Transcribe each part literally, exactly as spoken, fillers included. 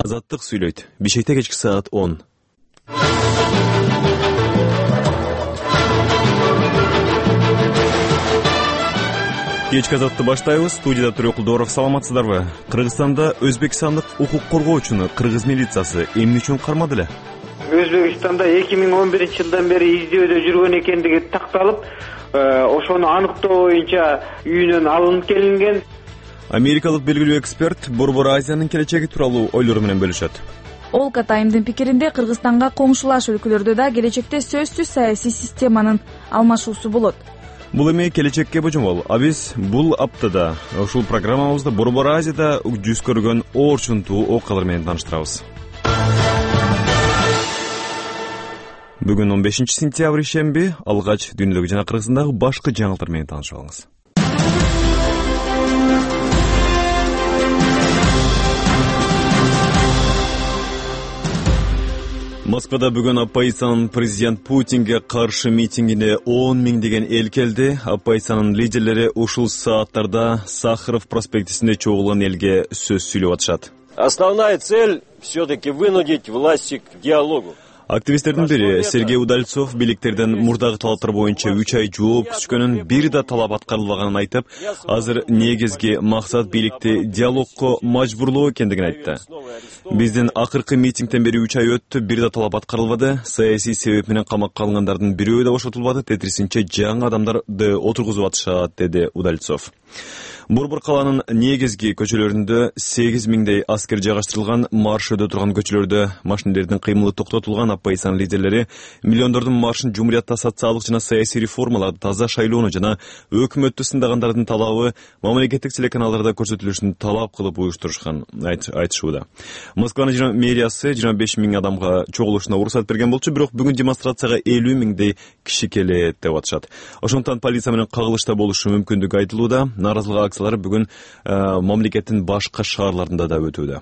Азаттык сүйлөйт. Бишкекте кечки саат он. Кечки азатты баштайбыз. Студияда Төрөкулдоров, саламатсыздарбы? Кыргызстанда өзбекстандык укук коргоочуну кыргыз милициясы эмне үчүн кармады эле? Өзбекстанда эки миң он биринчи жылдан бери издөөдө жүргөн экендиги такталып, ошону аныктоо боюнча үйүнөн алынып келинген. Америкалык белгилүү эксперт Борбор Азиянын келечеги тууралуу ойлору менен бөлүшөт. Олка Таймдын пикиринде Кыргызстанга коңшулаш өлкөлөрдө да келечекте сөзсүз саясий системанын алмашуусу болот. Бул эми келечекке божомол. А биз бул аптада ушул программабызда Борбор Азияда жүз көргөн оорчунтуу окуялар менен тааныштырабыз. Бүгүн он бешинчи сентябрь ишемби, алгач дүйнөдөгү жана Кыргызстандагы башкы жаңылыктар менен таанышып алыңыз. Москвада бүгүн оппозициянын президент Путинге каршы митингине он миңдеген эл келди. Оппозициянын лидерлери ушул сааттарда Сахаров проспектисинде чогулган элге сөз сүйлөп атышат. Основная цель все-таки вынудить власти к диалогу. Активисттердин бири Сергей Удальцов бийликтерден мурдагы талаптар боюнча үч ай жооп күткөнүн, бир да талап аткарылбаганын айтып, азыр негизги максат бийликти диалогко мажбурлоо экендигин айтты. Биздин акыркы митингден бери үч ай өттү, бир да талап аткарылбады, саясий себеп менен камакка алынгандардын бирөө да бошотулбады, тетирисинче жаңы адамдарды отургузуп атышат, деди Удальцов. Борбор каланын негизги көчөлөрүндө сегиз миңдей аскер жайгаштырылган, марш өтө турган көчөлөрдө машинелердин кыймылы токтотулган. Оппозициянын лидерлери миллиондордун маршын Жумуриятта социалдык жана саясий реформаларды таза шайлоону жана өкмөттү сындагандардын талабы мамлекеттик телеканалдарда көрсөтүлүшүн талап кылып уюштурушкан айтышууда. Москванын мэриясы жыйырма беш миң адамга чогулушуна уруксат берген болчу, бирок бүгүн демонстрацияга элүү миңдей киши келет деп атышат. Ошондуктан полиция менен кагылышта болушу мүмкүндүгү айтылууда. Нааразылык акциялары бүгүн мамлекеттин башка шаарларында да өтүүдө.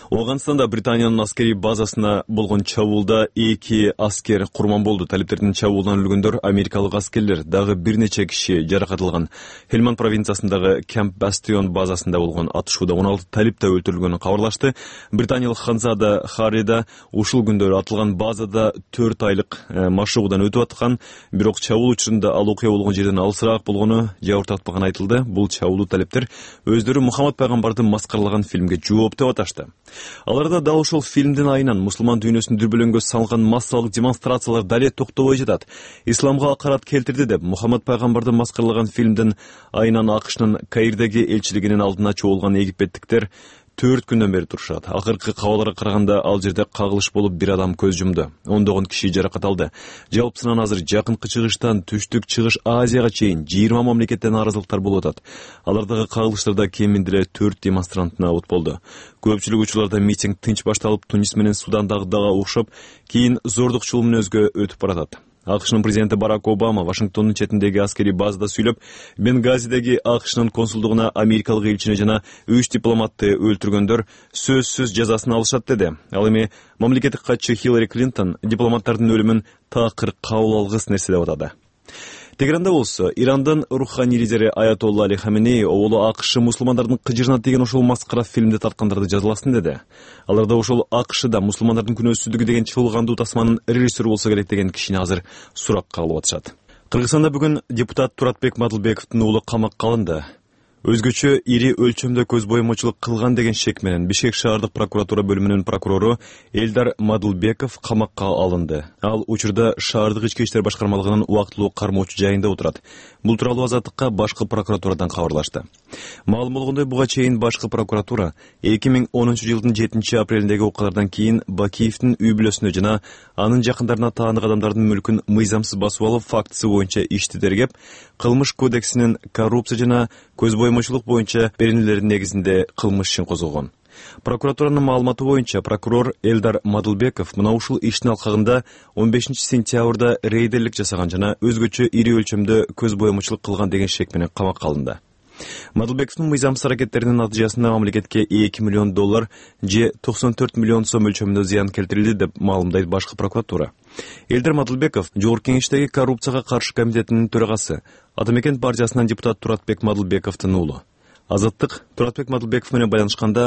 Афганистанда Британиянын аскерий базасына болгон чабуулда эки аскер курман болду. Талиптердин чабуулунан өлгөндөр америкалык аскерлер, дагы бир нече киши жаракат алган. Хельманд провинциясындагы Camp Bastion базасында болгон атышууда он алты талип да өлтүрүлгөнү кабарлашты. Британиялык Ханзада Харрида ушул күндөрү атылган базада төрт айлык машыгуудан өтүп аткан, бирок чабуул учурунда ал окуя болгон жерден алысыраак болгону жабыр тартпаганы айтылды. Бул чабуулдуу талиптер өздөрү Мухаммад пайгамбарды маскаралаган фильмге жооп деп аташты. Аларда дал ошол фильмдин айынан мусулман дүйнөсүн дүрбөлөңгө салган массалык демонстрациялар дале токтобой жатат. Исламга акарат келтирди деп Мухаммад пайгамбарды маскаралаган фильмдин айынан АКШнын Каирдеги элчилигинин алдына чогулган египеттиктер төрт күндөн бери турушат. Акыркы кабарларга караганда ал жерде кагылыш болуп бир адам көз жумду. Ондогон киши жаракат алды. Жалпысынан азыр жакынкы чыгыштан түштүк чыгыш Азияга чейин жыйырма мамлекеттен нааразылыктар болуп атат. Алардагы кагылыштарда кеминде эле төрт демонстрант набыт болду. Көпчүлүк учурларда митинг тынч башталып, Тунис менен Судандагыга окшоп, кийин зордукчул мүнөзгө өтүп баратат. АКШнын президенти Барак Обама Вашингтондун четиндеги аскерий базада сүйлөп, Бенгазидеги АКШнын консулдугуна америкалык элчини жана үч дипломатты өлтүргөндөр сөзсүз жазасын алышат деди. Ал эми мамлекеттик катчы Хиллари Клинтон дипломаттардын өлүмүн такыр кабыл алгыс нерсе деп атады. Тегеранда болсо, Ирандын руханий лидери Аятолла Али Хаменеи оолу АКШ мусулмандардын кыжырынат деген ошол маскара фильмде тарткандарды жазаласын деди. Аларда ошол АКШда мусулмандардын күнөөсүздүгү деген чуулгандуу тасманын режиссеру болсо керек деген кишини азыр суракка алып атышат. Кыргызстанда бүгүн депутат Туратбек Мадылбековдун уулу камакка алынды. Өзгөчө ири өлчөмдө көз боемочулук кылган деген шек менен Бишкек шаардык прокуратура бөлүмүнүн прокурору Элдар Мадылбеков камакка алынды. Ал учурда шаардык ички иштер башкармалыгынын убактылуу кармоочу жайында отурат. Бул тууралуу Азаттыкка башкы прокуратурадан кабарлашты. Маалым болгондой, буга чейин башкы прокуратура эки миң онунчу жылдын жетинчи апрелиндеги окуялардан кийин Бакиевдин үй бүлөсүнө жана анын жакындарына таандык адамдардын мүлкүн мыйзамсыз басып алып фактысы боюнча ишти тергеп, кылмыш кодексинин коррупция жана көз боемочулук боюнча беренелердин негизинде кылмыш ишин козгогон. Прокуратуранын маалыматы боюнча прокурор Элдар Мадылбеков мына ушул иштин алкагында он бешинчи сентябрда рейдерлик жасаган жана өзгөчө ири өлчөмдө көз боемочулук кылган деген шек менен камакка алынды. Мадылбековдун мыйзамсыз аракеттеринин натыйжасында мамлекетке эки миллион доллар же токсон төрт миллион сом өлчөмүндө зыян келтирилди деп маалымдайт башкы прокуратура. Элдар Мадылбеков Жогорку Кеңештеги коррупцияга каршы комитетинин төрагасы, Атамекен партиясынан депутат Туратбек Мадылбековдун уулу. Азаттык Туратбек Мадылбеков менен байланышканда